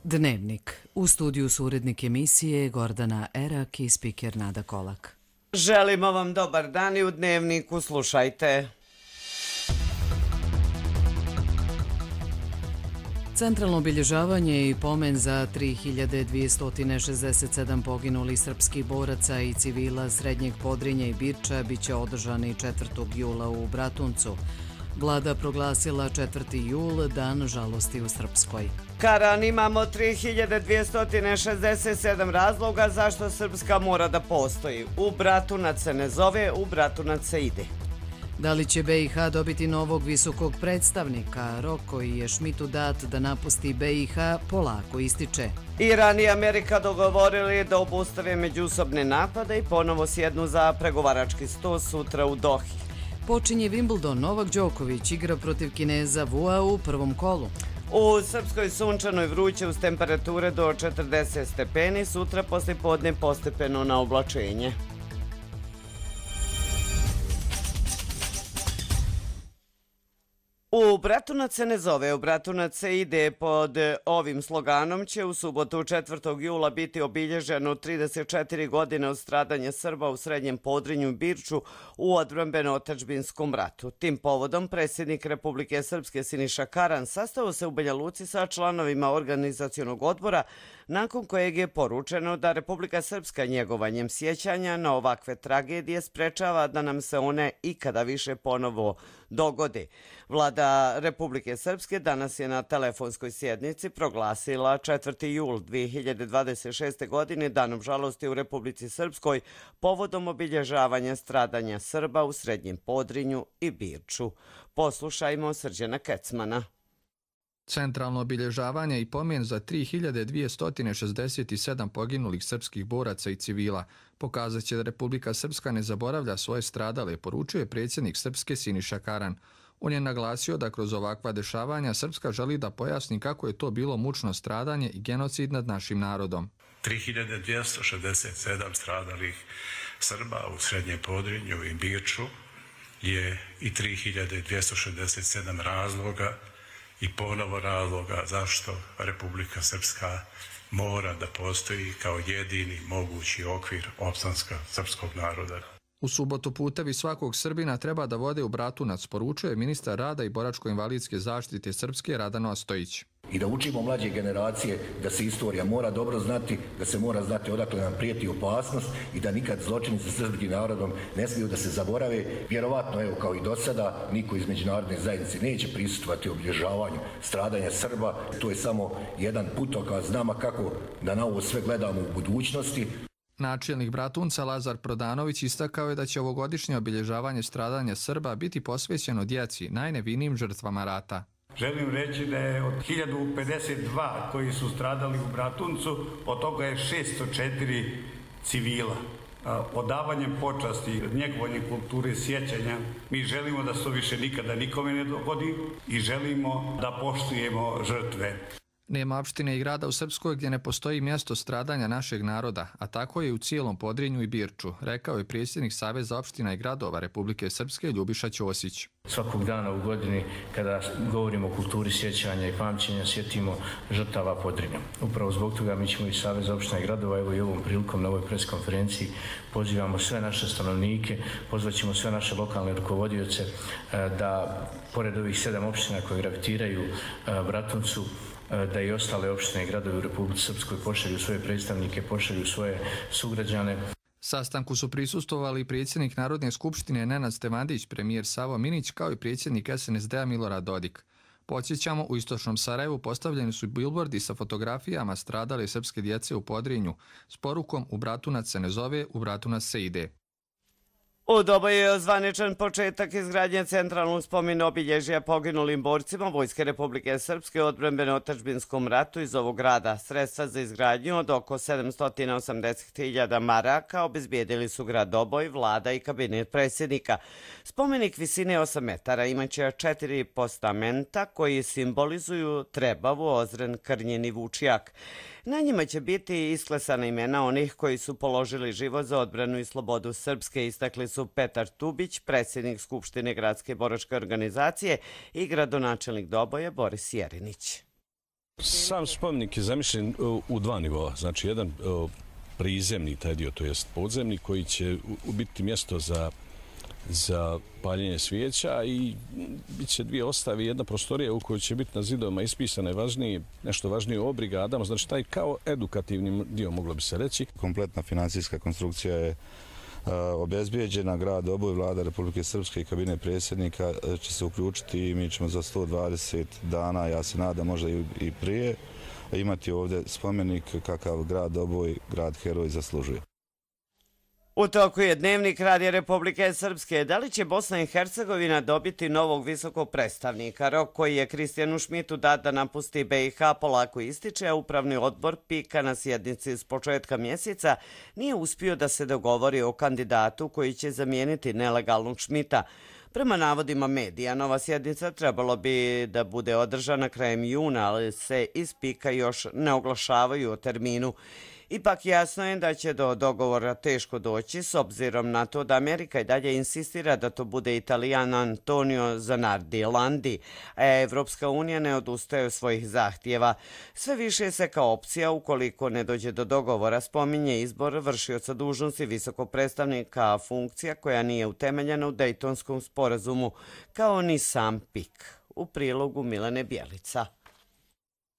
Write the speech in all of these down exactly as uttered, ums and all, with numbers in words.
Dnevnik. U studiju su urednik emisije Gordana Erak i spiker Nada Kolak. Želimo vam dobar dan i u Dnevniku slušajte. Centralno obilježavanje i pomen za tri hiljade dvjesto šezdeset sedam poginulih srpskih boraca i civila Srednjeg Podrinja i Birča biće održani četvrtog jula u Bratuncu. Vlada proglasila četvrti jul dan žalosti u Srpskoj. Karan, imamo tri hiljade dvjesto šezdeset sedam razloga zašto Srpska mora da postoji. U Bratunac se ne zove, u Bratunac se ide. Da li će be i ha dobiti novog visokog predstavnika? Rok koji je Šmitu dat da napusti be i ha polako ističe. Iran i Amerika dogovorili da obustave međusobne napade i ponovo sjednu za pregovarački sto sutra u Dohi. Počinje Wimbledon, Novak Đoković igra protiv Kineza Vua u prvom kolu. U Srpskoj sunčanoj vruće uz temperature do četrdeset stepeni, sutra posle podne postepeno na oblačenje. U Bratunac se ne zove, u Bratunac se ide. Pod ovim sloganom će u subotu četvrtog jula biti obilježeno trideset četiri godine od stradanja Srba u Srednjem Podrinju i Birču u odbrambeno-otadžbinskom ratu. Tim povodom predsjednik Republike Srpske Siniša Karan sastao se u Banja Luci sa članovima organizacionog odbora, nakon kojeg je poručeno da Republika Srpska njegovanjem sjećanja na ovakve tragedije sprečava da nam se one ikada više ponovo dogode. Vlada Republike Srpske danas je na telefonskoj sjednici proglasila četvrti jul dvije hiljade dvadeset šeste. godine danom žalosti u Republici Srpskoj povodom obilježavanja stradanja Srba u Srednjem Podrinju i Birču. Poslušajmo Srđana Kecmana. Centralno obilježavanje i pomen za tri hiljade dvjesto šezdeset sedam poginulih srpskih boraca i civila pokazat će da Republika Srpska ne zaboravlja svoje stradale, poručuje predsjednik Srpske Siniša Karan. On je naglasio da kroz ovakva dešavanja Srpska želi da pojasni kako je to bilo mučno stradanje i genocid nad našim narodom. tri hiljade dvjesto šezdeset sedam stradalih Srba u Srednjem Podrinju i Birču je i tri hiljade dvjesto šezdeset sedam razloga i ponovo razloga zašto Republika Srpska mora da postoji kao jedini mogući okvir opstanka srpskog naroda. U subotu putevi svakog Srbina treba da vode u Bratunac, poručuje ministar rada i boračko-invalidske zaštite Srpske Radan Ostojić. I da učimo mlađe generacije da se istorija mora dobro znati, da se mora znati odakle nam prijeti opasnost i da nikad zločinici s srpskim narodom ne smiju da se zaborave. Vjerovatno, evo kao i do sada, niko iz međunarodne zajednice neće prisustvovati obilježavanju stradanja Srba. To je samo jedan putokaz nama kako da na ovo sve gledamo u budućnosti. Načelnik Bratunca Lazar Prodanović istakao je da će ovogodišnje obilježavanje stradanja Srba biti posvećeno djeci, najnevinijim žrtvama rata. Želim reći da je od hiljadu pedeset dva koji su stradali u Bratuncu, od toga je šesto četiri civila. Odavanjem počasti, njegovanjem kulture sjećanja, mi želimo da se više nikada nikome ne dogodi i želimo da poštujemo žrtve. Nema opštine i grada u Srpskoj gdje ne postoji mjesto stradanja našeg naroda, a tako je u cijelom Podrinju i Birču, rekao je predsjednik Saveza opština i gradova Republike Srpske Ljubiša Ćosić. Svakog dana u godini kada govorimo o kulturi sjećanja i pamćenja sjetimo žrtava Podrinja. Upravo zbog toga mi ćemo iz Saveza opština i gradova, evo i ovom prilikom na ovoj preskonferenciji pozivamo sve naše stanovnike, pozvaćemo sve naše lokalne rukovodioce da pored ovih sedam opština koje gravitiraju Bratuncu, da i ostale opštine i gradovi u Republici Srpskoj pošalju svoje predstavnike, pošalju svoje sugrađane. Sastanku su prisustvovali predsjednik Narodne skupštine Nenad Stevandić, premijer Savo Minić, kao i predsjednik es en es de a Milorad Dodik. Podsjećamo, u istočnom Sarajevu postavljeni su bilbordi sa fotografijama stradale srpske djece u Podrinju s porukom "U Bratunac se ne zove, u Bratunac se ide". U Doboju je ozvaničen početak izgradnje centralnog spomena obilježja poginulim borcima Vojske Republike Srpske u odbrambeno-otadžbinskom ratu iz ovog grada. Sredstva za izgradnju od oko sedamsto osamdeset hiljada maraka obezbijedili su grad Doboj, vlada i kabinet predsjednika. Spomenik visine osam metara imaće četiri postamenta koji simbolizuju Trebavu, Ozren, Krnjen i Vučjak. Na njima će biti isklesana imena onih koji su položili život za odbranu i slobodu Srpske, istakli su Petar Tubić, predsjednik Skupštine Gradske boračke organizacije, i gradonačelnik Doboja Boris Jerinić. Sam spomenik je zamišljen u dva nivoa. Znači, jedan prizemni, taj dio, to jest podzemni, koji će biti mjesto za za paljenje svijeća i bit će dvije ostave, jedna prostorija u kojoj će biti na zidovima ispisane važnije, nešto važnije o brigadama, znači taj kao edukativni dio, moglo bi se reći. Kompletna financijska konstrukcija je obezbijeđena, grad Oboj, vlada Republike Srpske i kabinet predsjednika će se uključiti i mi ćemo za sto dvadeset dana, ja se nadam možda i prije, imati ovdje spomenik kakav grad Oboj, grad heroj zaslužuje. U toku je dnevnik Radija Republike Srpske. Da li će Bosna i Hercegovina dobiti novog visokog predstavnika? Rok koji je Kristijanu Šmitu dat da napusti B i H polako ističe, a upravni odbor PIK-a na sjednici s početka mjeseca nije uspio da se dogovori o kandidatu koji će zamijeniti nelegalnog Šmita. Prema navodima medija, nova sjednica trebalo bi da bude održana krajem juna, ali se iz PIK-a još ne oglašavaju o terminu. Ipak jasno je da će do dogovora teško doći s obzirom na to da Amerika i dalje insistira da to bude Italijan Antonio Zanardi Landi, a Evropska unija ne odustaje od svojih zahtjeva. Sve više se kao opcija, ukoliko ne dođe do dogovora, spominje izbor vršioca dužnosti visokog predstavnika, funkcija koja nije utemeljena u Dejtonskom sporazumu, kao ni sam PIK. U prilogu Milene Bjelica.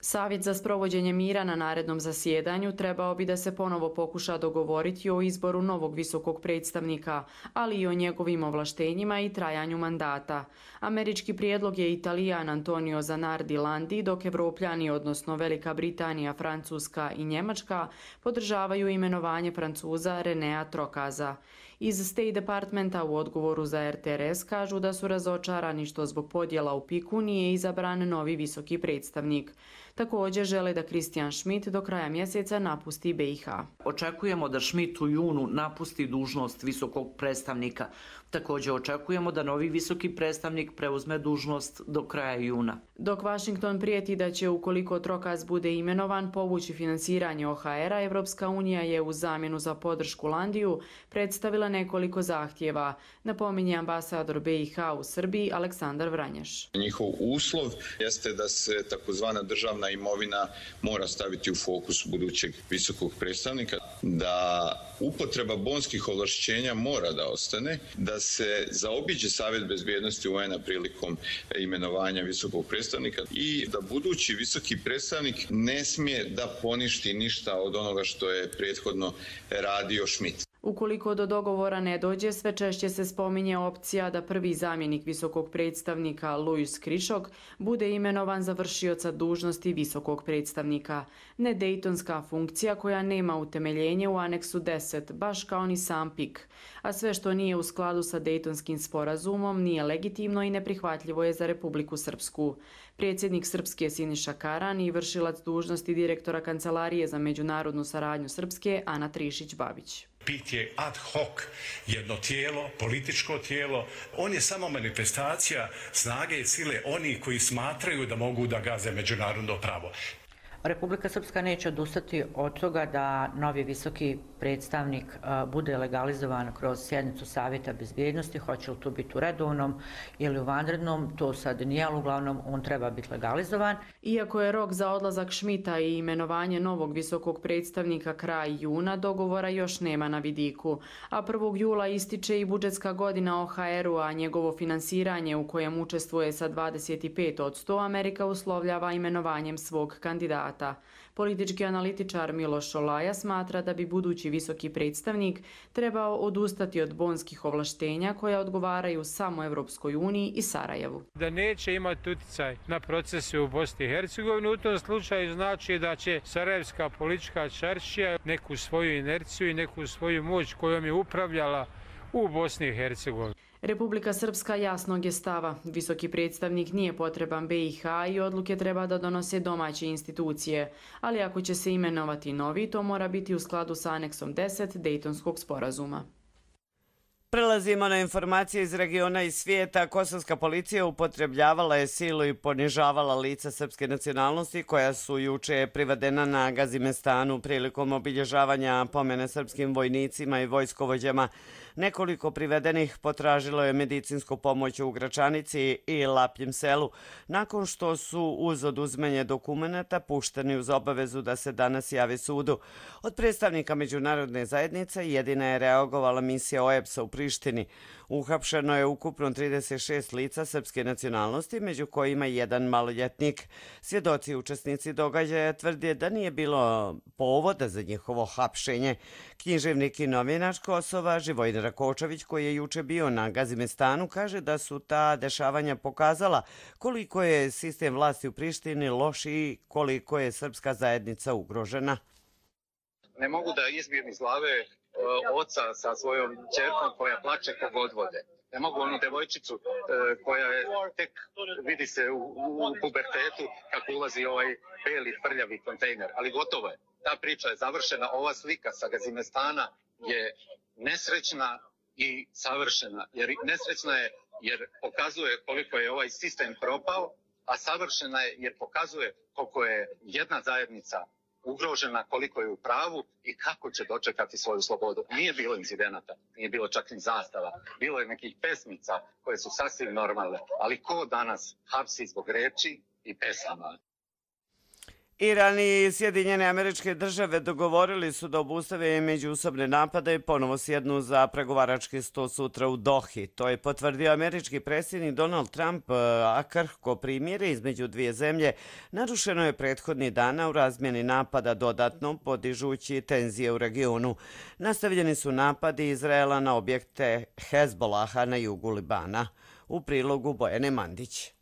Savjet za sprovođenje mira na narednom zasjedanju trebao bi da se ponovo pokuša dogovoriti o izboru novog visokog predstavnika, ali i o njegovim ovlaštenjima i trajanju mandata. Američki prijedlog je Italijan Antonio Zanardi Landi, dok Evropljani, odnosno Velika Britanija, Francuska i Njemačka, podržavaju imenovanje Francuza Renea Trokaza. Iz State Departmenta u odgovoru za R T R S kažu da su razočarani što zbog podjela u PIK-u nije izabran novi visoki predstavnik. Također žele da Kristijan Šmit do kraja mjeseca napusti B i H. Očekujemo da Šmit u junu napusti dužnost visokog predstavnika. Također očekujemo da novi visoki predstavnik preuzme dužnost do kraja juna. Dok Washington prijeti da će, ukoliko Trokaz bude imenovan, povući finansiranje O H R-a, Evropska unija je u zamjenu za podršku Landiju predstavila nekoliko zahtjeva, napominje ambasador B i H u Srbiji Aleksandar Vranješ. Njihov uslov jeste da se takozvana državna imovina mora staviti u fokus budućeg visokog predstavnika, da upotreba bonskih ovlašćenja mora da ostane, da se zaobiđe Savjet bezbjednosti U N-a prilikom imenovanja visokog predstavnika i da budući visoki predstavnik ne smije da poništi ništa od onoga što je prethodno radio Šmit. Ukoliko do dogovora ne dođe, sve češće se spominje opcija da prvi zamjenik visokog predstavnika Luis Krišok bude imenovan za vršioca dužnosti visokog predstavnika. Nedejtonska funkcija koja nema utemeljenje u aneksu deset, baš kao ni sam PIK. A sve što nije u skladu sa Dejtonskim sporazumom nije legitimno i neprihvatljivo je za Republiku Srpsku. Predsjednik Srpske Siniša Karan i vršilac dužnosti direktora Kancelarije za međunarodnu saradnju Srpske Ana Trišić-Babić. PIK je ad hoc jedno tijelo, političko tijelo. On je samo manifestacija snage i sile onih koji smatraju da mogu da gaze međunarodno pravo. Republika Srpska neće odustati od toga da novi visoki predstavnik bude legalizovan kroz sjednicu Savjeta bezbjednosti, hoće li to biti u redovnom ili u vanrednom, to sad nije, ali uglavnom on treba biti legalizovan. Iako je rok za odlazak Šmita i imenovanje novog visokog predstavnika kraj juna, dogovora još nema na vidiku, a prvog jula ističe i budžetska godina O H R-u, a njegovo finansiranje u kojem učestvuje sa dvadeset pet posto Amerika uslovljava imenovanjem svog kandidata. Politički analitičar Miloš Šolaja smatra da bi budući visoki predstavnik trebao odustati od bonskih ovlaštenja koja odgovaraju samo Evropskoj uniji i Sarajevu. Da neće imati utjecaj na procese u Bosni i Hercegovini, u tom slučaju znači da će sarajevska politička čaršija neku svoju inerciju i neku svoju moć kojom je upravljala u Bosni i Hercegovini. Republika Srpska jasnog je stava. Visoki predstavnik nije potreban B i H i odluke treba da donose domaće institucije, ali ako će se imenovati novi, to mora biti u skladu sa aneksom deset Dejtonskog sporazuma. Prelazimo na informacije iz regiona i svijeta. Kosovska policija upotrebljavala je silu i ponižavala lica srpske nacionalnosti koja su juče privedena na Gazimestanu prilikom obilježavanja pomene srpskim vojnicima i vojskovođama. Nekoliko privedenih potražilo je medicinsku pomoć u Gračanici i Lapljim selu, nakon što su uz oduzimanje dokumenata pušteni uz obavezu da se danas javi sudu. Od predstavnika međunarodne zajednice jedina je reagovala misija O E B S-a u Prištini. Uhapšeno je ukupno trideset šest lica srpske nacionalnosti, među kojima jedan maloljetnik. Svjedoci i učesnici događaja tvrde da nije bilo povoda za njihovo hapšenje. Književnik i novinač Kosova Živojin Rakočević, koji je juče bio na Gazimestanu, kaže da su ta dešavanja pokazala koliko je sistem vlasti u Prištini loš i koliko je srpska zajednica ugrožena. Ne mogu da izbijem iz glave oca sa svojom ćerkom koja plače kog odvode. Ne mogu onu devojčicu e, koja je tek vidi se u, u pubertetu kako ulazi ovaj beli prljavi kontejner, ali gotovo je. Ta priča je završena, ova slika sa Gazimestana je nesrećna i savršena. Jer nesrećna je jer pokazuje koliko je ovaj sistem propao, a savršena je jer pokazuje koliko je jedna zajednica ugrožena, koliko je u pravu i kako će dočekati svoju slobodu. Nije bilo incidenata, nije bilo čak ni zastava. Bilo je nekih pesmica koje su sasvim normalne, ali ko danas hapsi zbog reči i pesama? Iran i Sjedinjene Američke Države dogovorili su da obustave međusobne napade i ponovo sjednu za pregovarački sto sutra u Dohi. To je potvrdio američki predsjednik Donald Trump, a krhko primirje između dvije zemlje narušeno je prethodni dana u razmjeni napada dodatno podižući tenzije u regionu. Nastavljeni su napadi Izraela na objekte Hezbolaha na jugu Libana. U prilogu Bojane Mandić.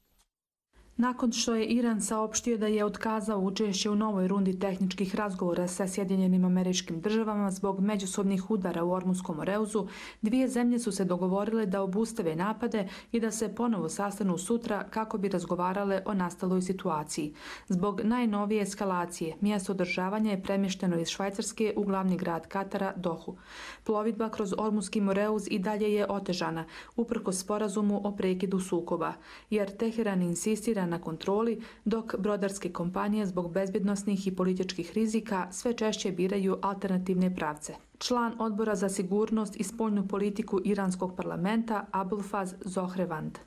Nakon što je Iran saopštio da je otkazao učešće u novoj rundi tehničkih razgovora sa Sjedinjenim Američkim Državama zbog međusobnih udara u Ormunskom Moreuzu, dvije zemlje su se dogovorile da obustave napade i da se ponovo sastanu sutra kako bi razgovarale o nastaloj situaciji. Zbog najnovije eskalacije, mjesto održavanja je premješteno iz Švajcarske u glavni grad Katara, Dohu. Plovidba kroz Ormunski Moreuz i dalje je otežana, uprkos sporazumu o prekidu sukoba, jer Teheran insistira na kontroli, dok brodarske kompanije zbog bezbjednosnih i političkih rizika sve češće biraju alternativne pravce. Član Odbora za sigurnost i spoljnu politiku iranskog parlamenta Abulfaz Zohrevand.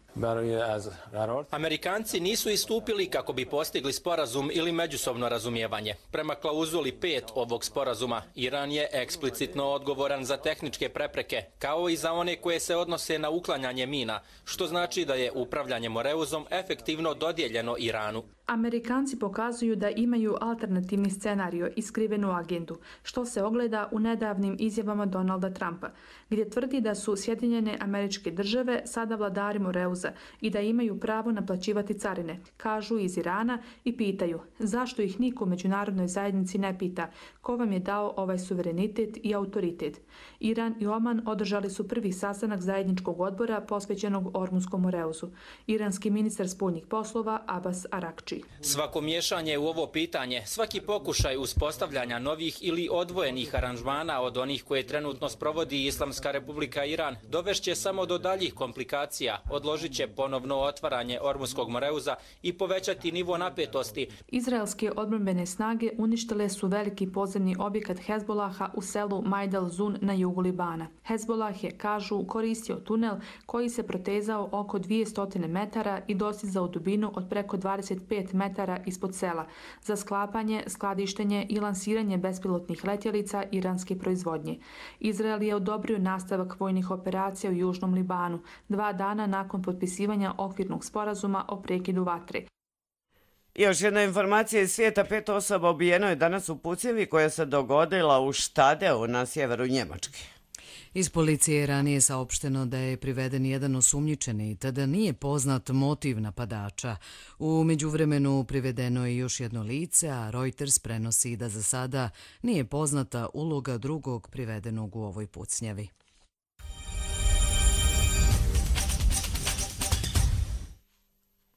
Amerikanci nisu istupili kako bi postigli sporazum ili međusobno razumijevanje. Prema klauzuli pet ovog sporazuma, Iran je eksplicitno odgovoran za tehničke prepreke, kao i za one koje se odnose na uklanjanje mina, što znači da je upravljanje Moreuzom efektivno dodijeljeno Iranu. Amerikanci pokazuju da imaju alternativni scenario i skrivenu agendu, što se ogleda u nedavnim izjavama Donalda Trumpa, gdje tvrdi da su Sjedinjene Američke Države sada vladari Moreuza i da imaju pravo naplaćivati carine, kažu iz Irana i pitaju zašto ih niko u međunarodnoj zajednici ne pita ko vam je dao ovaj suverenitet i autoritet. Iran i Oman održali su prvi sastanak zajedničkog odbora posvećenog Ormunskom Moreuzu. Iranski ministar spoljnih poslova Abbas Arakči. Svako miješanje u ovo pitanje, svaki pokušaj uspostavljanja novih ili odvojenih aranžmana od onih koje trenutno sprovodi Islamska Republika Iran, dovešće samo do daljih komplikacija, odložit će ponovno otvaranje Ormunskog Moreuza i povećati nivo napetosti. Izraelske odbrambene snage uništile su veliki podzemni objekat Hezbolaha u selu Majdal Zun na jugu Libana. Hezbolah je, kažu, koristio tunel koji se protezao oko dvjesto metara i dostizao dubinu od preko dvadeset pet metara ispod sela za sklapanje, skladištenje i lansiranje bespilotnih letjelica iranske proizvodnje. Izrael je odobrio nastavak vojnih operacija u Južnom Libanu, dva dana nakon potpisivanja okvirnog sporazuma o prekidu vatre. Još jedna informacija iz svijeta, pet osoba ubijeno je danas u pucnjavi koja se dogodila u Štadeu na sjeveru Njemačke. Iz policije je ranije saopšteno da je priveden jedan osumnjičeni, te da nije poznat motiv napadača. U međuvremenu privedeno je još jedno lice, a Reuters prenosi da za sada nije poznata uloga drugog privedenog u ovoj pucnjavi.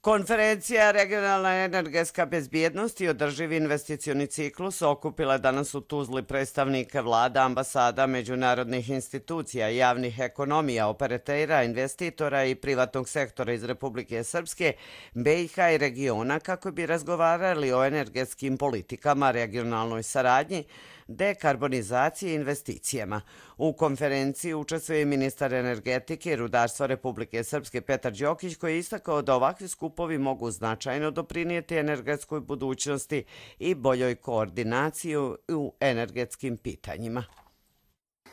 Konferencija Regionalna energetska bezbjednost i održivi investicioni ciklus okupila danas u Tuzli predstavnike vlada, ambasada, međunarodnih institucija, javnih ekonomija, operatera, investitora i privatnog sektora iz Republike Srpske, B i H i regiona kako bi razgovarali o energetskim politikama, regionalnoj saradnji, dekarbonizaciji i investicijama. U konferenciji učestvuje ministar energetike i rudarstva Republike Srpske Petar Đokić, koji je istakao da ovakvi skupovi mogu značajno doprinijeti energetskoj budućnosti i boljoj koordinaciji u energetskim pitanjima.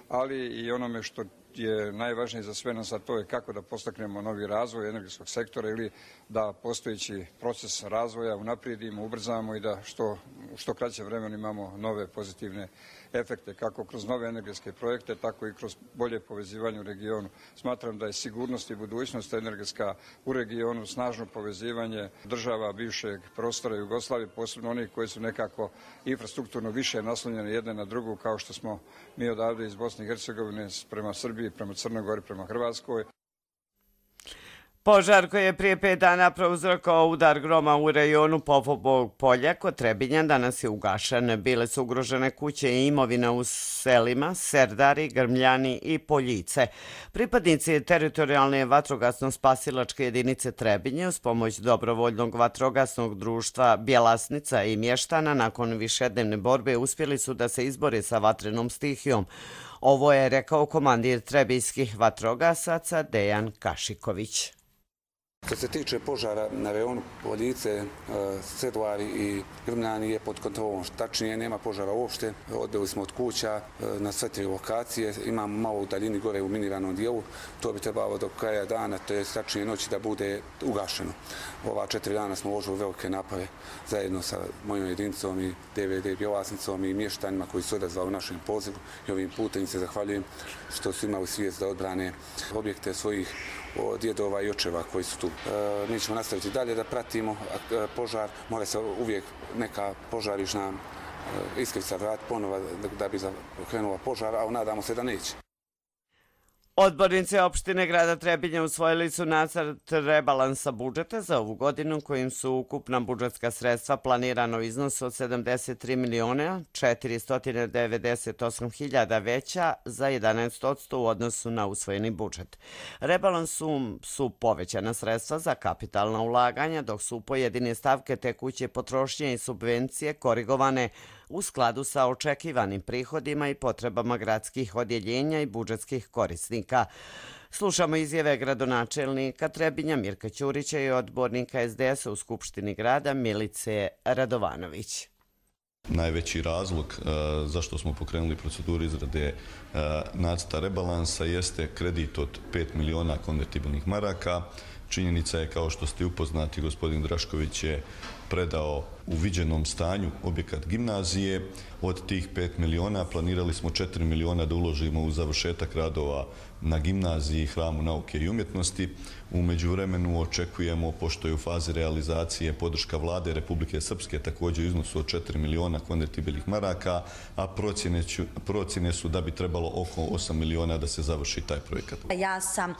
Ali i onome što je najvažnije za sve nas, a to je kako da postaknemo novi razvoj energetskog sektora ili da postojeći proces razvoja unaprijedimo, ubrzamo i da što, što kraće vremena imamo nove pozitivne efekte, kako kroz nove energetske projekte, tako i kroz bolje povezivanje u regionu. Smatram da je sigurnost i budućnost energetska u regionu, snažno povezivanje država bivšeg prostora Jugoslavije, posebno onih koji su nekako infrastrukturno više naslonjene jedne na drugu, kao što smo mi odavde iz Bosne i Hercegovine prema Srbiji, prema Crnoj Gori, prema Hrvatskoj. Požar koji je prije pet dana prouzrokovao udar groma u rajonu Popovog polja kod Trebinja danas je ugašen. Bile su ugrožene kuće i imovina u selima Serdari, Grmljani i Poljice. Pripadnici teritorijalne vatrogasno-spasilačke jedinice Trebinje uz pomoć dobrovoljnog vatrogasnog društva Bjelasnica i Mještana nakon višednevne borbe uspjeli su da se izbore sa vatrenom stihijom. Ovo je rekao komandir trebinjskih vatrogasaca Dejan Kašiković. Što se tiče požara na rajonu Poljice, Sedvari i Grmljani je pod kontrolom. Tačnije, nema požara uopšte. Odbili smo od kuća na sve tri lokacije. Imamo malo u daljini gore u miniranom dijelu. To bi trebalo do kraja dana, to je tačnije noći, da bude ugašeno. Ova četiri dana smo uložili velike napore zajedno sa mojom jedinicom i D V D Bjelasnicom i mještanima koji su odazvali u našem pozivu. I ovim putem se zahvaljujem što su imali svijest da odbrane objekte svojih djedova i očeva koji su tu. Mi ćemo nastaviti dalje da pratimo požar. Mora se uvijek neka požarišna iskrica vratiti ponovo da bi krenula požar, a nadamo se da neće. Odbornici opštine grada Trebinja usvojili su nacrt rebalansa budžeta za ovu godinu kojim su ukupna budžetska sredstva planirano u iznosu od sedamdeset tri miliona četiristo devedeset osam hiljada veća za jedanaest posto u odnosu na usvojeni budžet. Rebalansom su povećana sredstva za kapitalna ulaganja, dok su pojedine stavke tekuće potrošnje i subvencije korigovane u skladu sa očekivanim prihodima i potrebama gradskih odjeljenja i budžetskih korisnika. Slušamo izjave gradonačelnika Trebinja Mirka Ćurića i odbornika S D S-a u Skupštini grada Milice Radovanović. Najveći razlog zašto smo pokrenuli proceduru izrade nacrta rebalansa jeste kredit od pet miliona konvertibilnih maraka. Činjenica je, kao što ste upoznati, gospodin Drašković je predao u viđenom stanju objekat gimnazije. Od tih pet miliona planirali smo četiri miliona da uložimo u završetak radova na gimnaziji, Hramu nauke i umjetnosti. U međuvremenu očekujemo, pošto je u fazi realizacije podrška vlade Republike Srpske također u iznosu od četiri miliona konvertibilnih maraka, a procjene, ću, procjene su da bi trebalo oko osam miliona da se završi taj projekat. Ja sam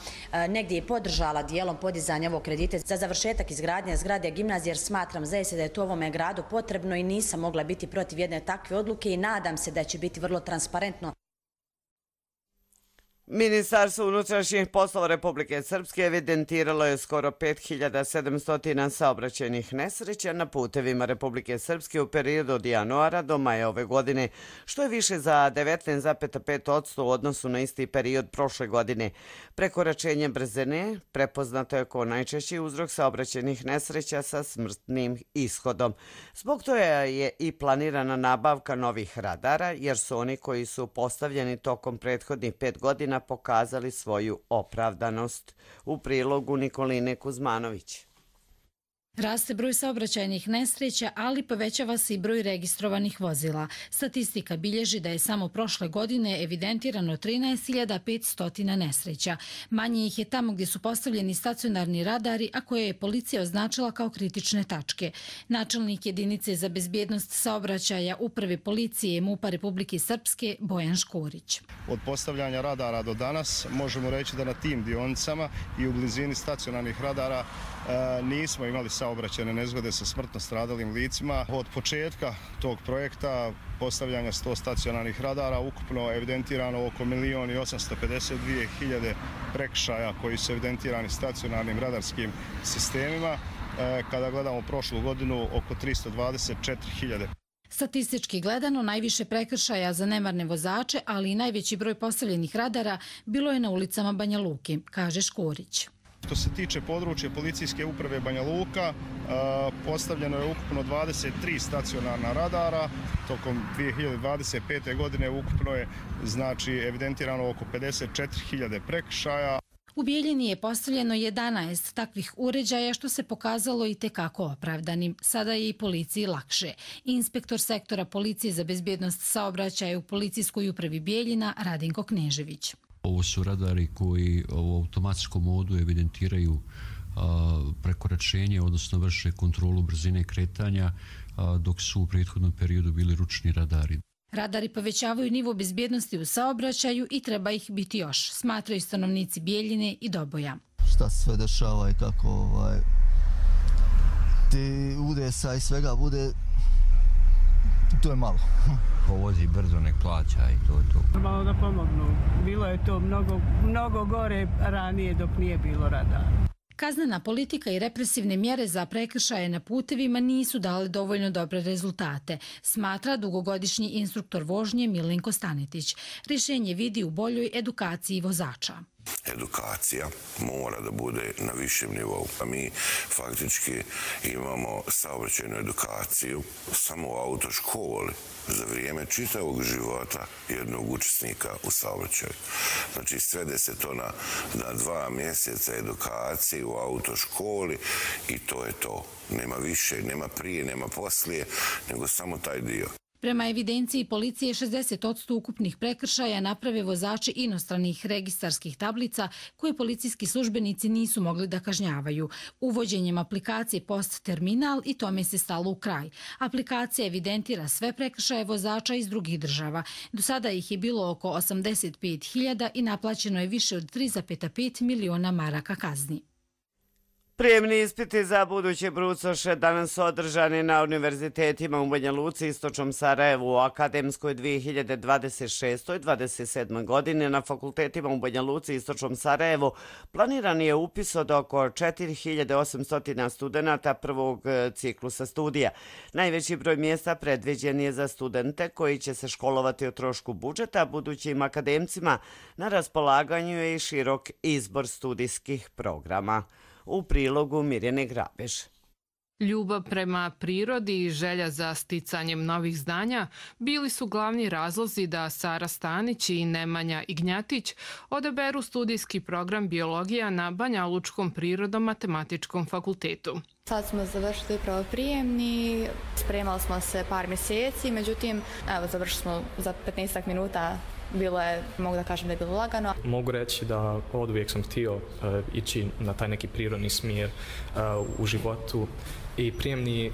negdje i podržala dijelom podizanja ovog kredita za završetak izgradnje zgrade gimnazije jer smatram zaista da je to ovome gradu potrebno i nisam mogla biti protiv jedne takve odluke i nadam se da će biti vrlo transparentno. Ministarstvo unutrašnjih poslova Republike Srpske evidentiralo je skoro pet hiljada sedamsto saobraćajnih nesreća na putevima Republike Srpske u periodu od januara do maja ove godine, što je više za devetnaest zarez pet posto u odnosu na isti period prošle godine. Prekoračenje brzine prepoznato je kao najčešći uzrok saobraćajnih nesreća sa smrtnim ishodom. Zbog toga je i planirana nabavka novih radara, jer su oni koji su postavljeni tokom prethodnih pet godina pokazali svoju opravdanost. U prilogu Nikoline Kuzmanović. Raste broj saobraćajnih nesreća, ali povećava se i broj registrovanih vozila. Statistika bilježi da je samo prošle godine evidentirano trinaest hiljada petsto nesreća. Manje ih je tamo gdje su postavljeni stacionarni radari, a koje je policija označila kao kritične tačke. Načelnik jedinice za bezbjednost saobraćaja Uprave policije i MUP-a Republike Srpske Bojan Škorić. Od postavljanja radara do danas možemo reći da na tim dionicama i u blizini stacionarnih radara nismo imali saobraćajne nezgode sa smrtno stradalim licima. Od početka tog projekta postavljanja sto stacionarnih radara ukupno evidentirano oko milijon i osamsto pedeset dvije hiljade prekršaja koji su evidentirani stacionarnim radarskim sistemima. Kada gledamo prošlu godinu, oko tristo dvadeset četiri hiljade. Statistički gledano, najviše prekršaja za nemarne vozače, ali i najveći broj postavljenih radara bilo je na ulicama Banja Luke, kaže Škorić. Što se tiče područja policijske uprave Banja Luka, postavljeno je ukupno dvadeset tri stacionarna radara. Tokom dvije hiljade dvadeset pete. godine ukupno je znači evidentirano oko pedeset četiri hiljade prekršaja. U Bijeljini je postavljeno jedanaest takvih uređaja što se pokazalo i tekako opravdanim. Sada je i policiji lakše. Inspektor sektora policije za bezbjednost saobraćaja u policijskoj upravi Bijeljina Radinko Knežević. Ovo su radari koji u automatskom modu evidentiraju prekoračenje, odnosno vrše kontrolu brzine kretanja, dok su u prethodnom periodu bili ručni radari. Radari povećavaju nivo bezbjednosti u saobraćaju i treba ih biti još, smatraju stanovnici Bijeljine i Doboja. Šta se sve dešava i kako ovaj, ti udesa i svega bude, to je malo. Ko vozi brzo nek plaća i to je to. Malo da pomognu. Bilo je to mnogo, mnogo gore ranije dok nije bilo radara. Kaznena politika i represivne mjere za prekršaje na putevima nisu dali dovoljno dobre rezultate, smatra dugogodišnji instruktor vožnje Milenko Stanetić. Rješenje vidi u boljoj edukaciji vozača. Edukacija mora da bude na višem nivou. A mi faktički imamo saobraćajnu edukaciju samo u autoškoli za vrijeme čitavog života jednog učesnika u saobraćaju. Znači svede se to na, na dva mjeseca edukacije u autoškoli i to je to. Nema više, nema prije, nema poslije, nego samo taj dio. Prema evidenciji policije, šezdeset posto ukupnih prekršaja naprave vozači inostranih registarskih tablica koje policijski službenici nisu mogli da kažnjavaju. Uvođenjem aplikacije Post Terminal i tome se stalo u kraj. Aplikacija evidentira sve prekršaje vozača iz drugih država. Do sada ih je bilo oko osamdeset pet hiljada i naplaćeno je više od tri zarez pet miliona maraka kazni. Prijemni ispiti za buduće brucoše danas su održani na univerzitetima u Banja Luci i Istočnom Sarajevu u akademskoj dvije hiljade dvadeset šestoj dvadeset sedmoj. godine. Na fakultetima u Banja Luci i Istočnom Sarajevu planiran je upis od oko četiri hiljade osamsto studenata prvog ciklusa studija. Najveći broj mjesta predviđen je za studente koji će se školovati o trošku budžeta. Budućim akademcima na raspolaganju je i širok izbor studijskih programa. U prilogu Mirjane Grabež. Ljubav prema prirodi i želja za sticanjem novih znanja bili su glavni razlozi da Sara Stanić i Nemanja Ignjatić odaberu studijski program biologija na Banjalučkom prirodno-matematičkom fakultetu. Sad smo završili upravo prijemni, spremali smo se par mjeseci, međutim, evo, završili smo za petnaest minuta. Bilo je, mogu da kažem da je bilo lagano. Mogu reći da od uvijek sam htio uh, ići na taj neki prirodni smjer uh, u životu i prijemni,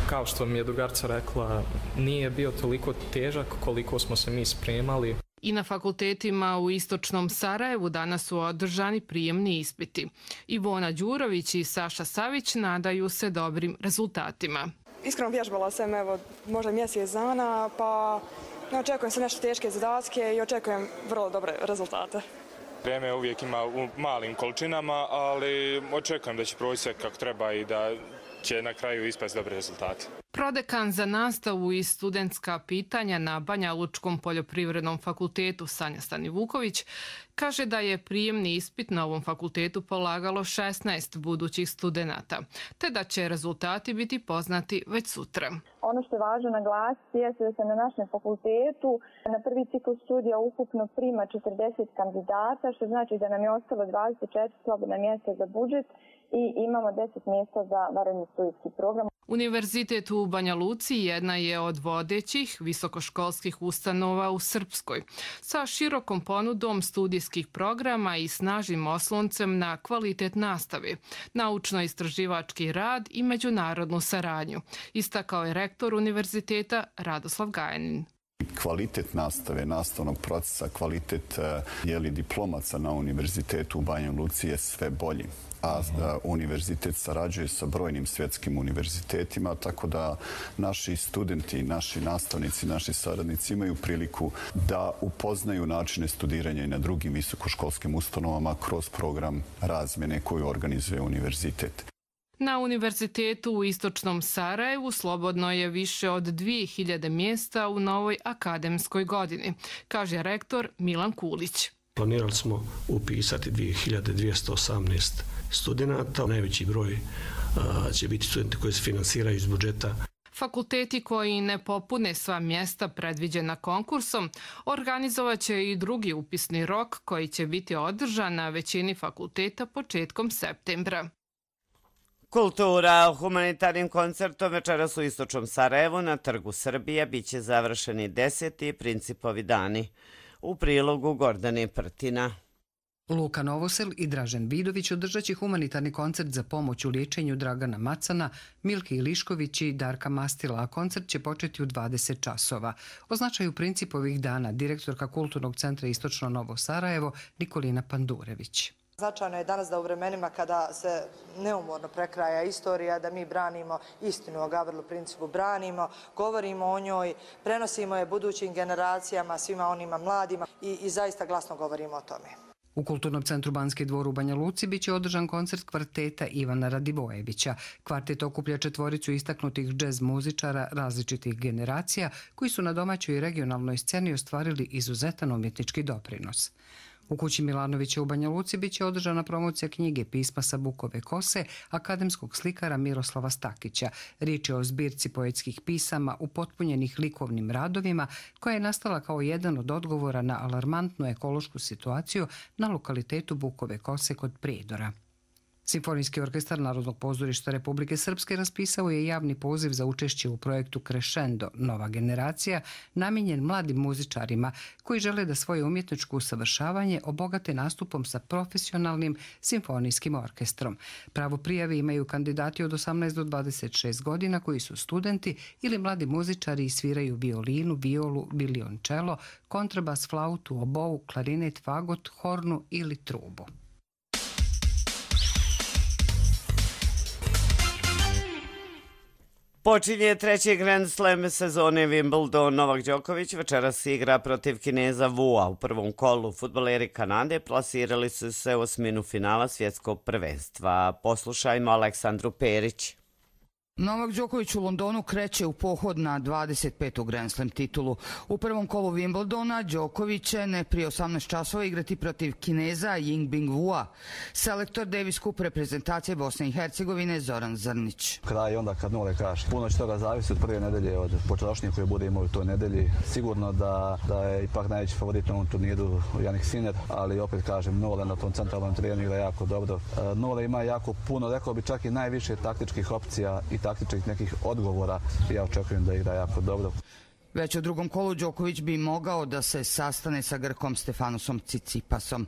kao što mi je drugarca rekla, nije bio toliko težak koliko smo se mi spremali. I na fakultetima u Istočnom Sarajevu danas su održani prijemni ispiti. Ivona Đurović i Saša Savić nadaju se dobrim rezultatima. Iskreno vježbala sam evo, možda mjesec dana, pa očekujem se nešto teške zadatke i očekujem vrlo dobre rezultate. Vreme uvijek ima u malim količinama, ali očekujem da će proći sve kako treba i da će na kraju ispasti dobre rezultate. Prodekan za nastavu i studentska pitanja na Banjalučkom poljoprivrednom fakultetu Sanja Stanivuković kaže da je prijemni ispit na ovom fakultetu polagalo šesnaest budućih studenata, te da će rezultati biti poznati već sutra. Ono što je važno naglasiti je da se na našem fakultetu na prvi ciklus studija ukupno prima četrdeset kandidata, što znači da nam je ostalo dvadeset četiri slobodna mjesta za budžet i imamo deset mjesta za vanredni studijski program. Univerzitet u Banja Luci jedna je od vodećih visokoškolskih ustanova u Srpskoj, sa širokom ponudom studijskih programa i snažnim osloncem na kvalitet nastave, naučno-istraživački rad i međunarodnu saradnju, istakao je rektor univerziteta Radoslav Gajanin. Kvalitet nastave, nastavnog procesa, kvalitet jeli, diplomaca na univerzitetu u Banja Luci je sve bolji. A univerzitet sarađuje sa brojnim svjetskim univerzitetima, tako da naši studenti, naši nastavnici, naši saradnici imaju priliku da upoznaju načine studiranja i na drugim visokoškolskim ustanovama kroz program razmjene koju organizuje univerzitet. Na univerzitetu u Istočnom Sarajevu slobodno je više od dvije hiljade mjesta u novoj akademskoj godini, kaže rektor Milan Kulić. Planirali smo upisati dvije hiljade dvjesto osamnaest studenta. Najveći broj a, će biti studenti koji se finansiraju iz budžeta. Fakulteti koji ne popune sva mjesta predviđena konkursom organizovat će i drugi upisni rok koji će biti održan na većini fakulteta početkom septembra. Kultura humanitarnim koncertom večeras u Istočnom Sarajevu na Trgu Srbije biće završeni deseti Principovi dani. U prilogu Gordane Prtina. Luka Novosel i Dražen Vidović održat će humanitarni koncert za pomoć u liječenju Dragana Macana, Milke Ilišković i Darka Mastila, a koncert će početi u dvadeset časova. O značaju Principovih dana direktorka Kulturnog centra Istočno Novo Sarajevo Nikolina Pandurević. Značajno je danas da u vremenima kada se neumorno prekraja istorija, da mi branimo istinu o Gavrilo Principu, branimo, govorimo o njoj, prenosimo je budućim generacijama, svima onima mladima i, i zaista glasno govorimo o tome. U Kulturnom centru Banski dvor u Banja Luci biće održan koncert kvarteta Ivana Radivojevića. Kvartet okuplja četvoricu istaknutih džez muzičara različitih generacija koji su na domaćoj i regionalnoj sceni ostvarili izuzetan umjetnički doprinos. U kući Milanovića u Banja Luci biće održana promocija knjige Pisma sa Bukove kose akademskog slikara Miroslava Stakića. Riječ je o zbirci poetskih pisama upotpunjenih likovnim radovima koja je nastala kao jedan od odgovora na alarmantnu ekološku situaciju na lokalitetu Bukove kose kod Prijedora. Simfonijski orkestar Narodnog pozorišta Republike Srpske raspisao je javni poziv za učešće u projektu Crescendo Nova generacija, namijenjen mladim muzičarima koji žele da svoje umjetničko usavršavanje obogate nastupom sa profesionalnim simfonijskim orkestrom. Pravo prijave imaju kandidati od osamnaest do dvadeset šest godina koji su studenti ili mladi muzičari i sviraju violinu, violu, violončelo, kontrabas, flautu, obou, klarinet, fagot, hornu ili trubu. Počinje treći Grand Slam sezone Wimbledon. Novak Đoković večeras igra protiv Kineza Wua. U prvom kolu fudbaleri Kanade plasirali su se u osminu finala svjetskog prvenstva. Poslušajmo Aleksandru Perić. Novak Đoković u Londonu kreće u pohod na dvadeset petu Grand Slam titulu. U prvom kolu Wimbledona Đoković će ne prije osamnaest časova igrati protiv Kineza Yingbing Wua. Selektor Davis Cup reprezentacije Bosne i Hercegovine Zoran Zrnić. Kraj onda kad nule kaže. Puno će toga zavisi od prve nedelje, od počerašnje koje bude imao u toj nedelji. Sigurno da, da je ipak najveći favorit na ovom turniru Jannik Sinner, ali opet kažem, Nole na tom centralnom terenu igra jako dobro. Nole ima jako puno, rekao bi čak i najviše taktičkih opcija i taktičkih nekih odgovora. Ja očekujem da igra jako dobro. Već u drugom kolu Đoković bi mogao da se sastane sa Grkom Stefanosom Tsitsipasom.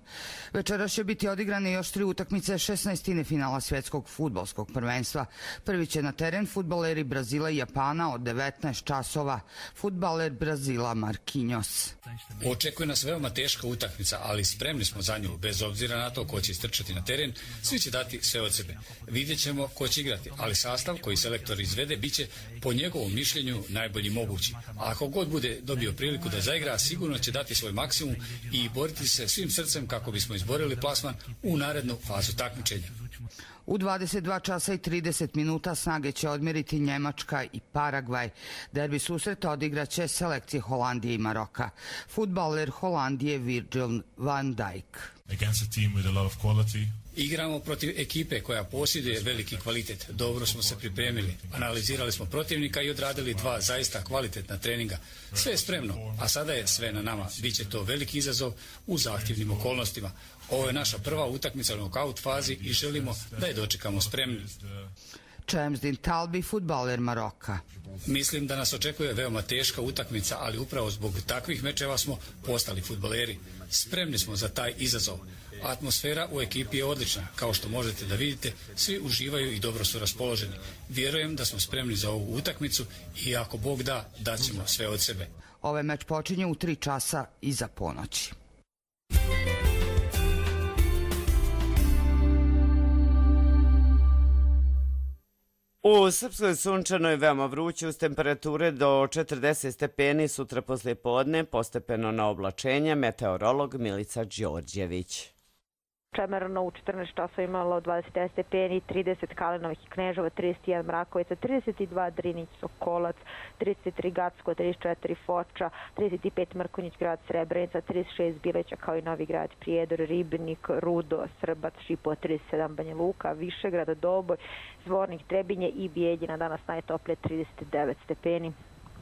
Večeras će biti odigrane još tri utakmice šesnaestine finala svjetskog fudbalskog prvenstva. Prvi će na teren fudbaleri Brazila i Japana od devetnaest časova. Fudbaler Brazila Marquinhos. Očekuje nas veoma teška utakmica, ali spremni smo za nju. Bez obzira na to ko će istrčati na teren, svi će dati sve od sebe. Vidjet ćemo ko će igrati, ali sastav koji selektor izvede biće po njegovom mišljenju najbolji mogući. A ako god bude dobio priliku da zaigra, sigurno će dati svoj maksimum i boriti se svim srcem kako bismo izborili plasman u narednu fazu takmičenja. U dvadeset dva časa i trideset minuta snage će odmjeriti Njemačka i Paragvaj. Derbi susreta odigraće selekcije Holandije i Maroka. Fudbaler Holandije Virgil van Dijk. Against a team with a lot of quality. Igramo protiv ekipe koja posjeduje veliki kvalitet. Dobro smo se pripremili, analizirali smo protivnika i odradili dva zaista kvalitetna treninga. Sve je spremno, a sada je sve na nama. Biće to veliki izazov u zahtjevnim okolnostima. Ovo je naša prva utakmica u nokaut fazi i želimo da je dočekamo spremni. Chamsdin Talbi, fudbaler Maroka. Mislim da nas očekuje veoma teška utakmica, ali upravo zbog takvih mečeva smo postali fudbaleri. Spremni smo za taj izazov. Atmosfera u ekipi je odlična. Kao što možete da vidite, svi uživaju i dobro su raspoloženi. Vjerujem da smo spremni za ovu utakmicu i ako Bog da, daćemo sve od sebe. Ovaj meč počinje u tri časa iza ponoći. U Srpskoj sunčano je veoma vruće uz temperature do četrdeset stepeni, sutra poslije podne, postepeno na oblačenje, meteorolog Milica Đorđević. Čemerno u četrnaest časova imalo dvadeset devet stepeni, trideset Kalinovih i Knežova, trideset jedan Mrakovica, trideset dva Drinić, Sokolac, trideset tri Gacko, trideset četiri Foča, trideset pet Mrkonjić, grad Srebrenica, trideset šest Bileća kao i Novi grad Prijedor, Ribnik, Rudo, Srbac, Šipo, trideset sedam Banja Luka, Višegrad, Doboj, Zvornik, Trebinje i Bijeljina. Danas najtoplije trideset devet stepeni.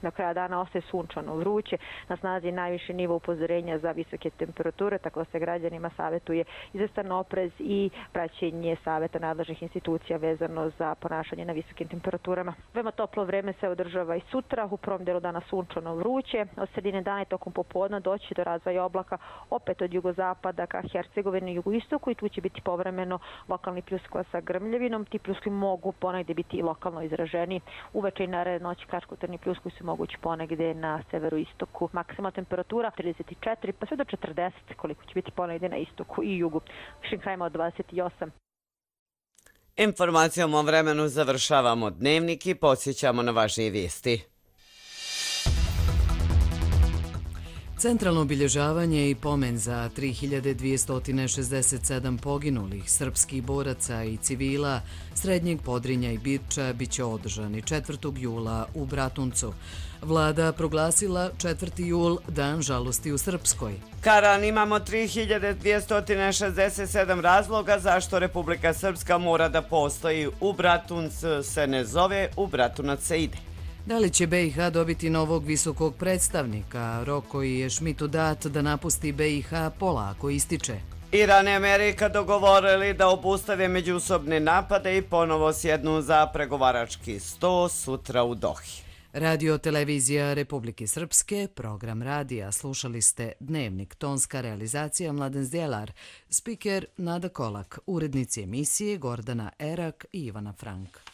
Na kraju dana ostaje sunčano vruće, na snazi je najviši nivo upozorenja za visoke temperature, tako da se građanima savjetuje izvestan oprez i praćenje savjeta nadležnih institucija vezano za ponašanje na visokim temperaturama. Veoma toplo vreme se održava i sutra, u prvom delu dana sunčano vruće, od sredine dana i tokom popodna doći do razvoja oblaka opet od jugozapada ka Hercegovini i jugoistoku i tu će biti povremeno lokalni pljuskova sa grmljavinom. Ti pljuskovi mogu ponegdje biti i lokalno izraženi. Uveče i naredne noći kratkotrajni pljuskovi su mogući ponegdje na severoistoku. Maksimalna temperatura trideset četiri pa sve do četrdeset, koliko će biti ponegdje na istoku i jugu. Višim krajima od dvadeset osam. Informacijom o vremenu završavamo dnevnik i podsjećamo na važnije vijesti. Centralno obilježavanje i pomen za tri hiljade dvjesto šezdeset sedam poginulih srpskih boraca i civila Srednjeg Podrinja i Birča biće održani četvrtog jula u Bratuncu. Vlada proglasila četvrti jul Dan žalosti u Srpskoj. Karan, imamo tri hiljade dvjesto šezdeset sedam razloga zašto Republika Srpska mora da postoji. U Bratunc se ne zove, u Bratunac se ide. Da li će be i ha dobiti novog visokog predstavnika? Rok koji je Šmitu dat da napusti be i ha polako ističe. Iran i Amerika dogovorili da obustave međusobne napade i ponovo sjednu za pregovarački sto sutra u Dohi. Radio Televizija Republike Srpske, program radija. Slušali ste Dnevnik, tonska realizacija Mladen Zdjelar, spiker Nada Kolak, urednici emisije Gordana Erak i Ivana Frank.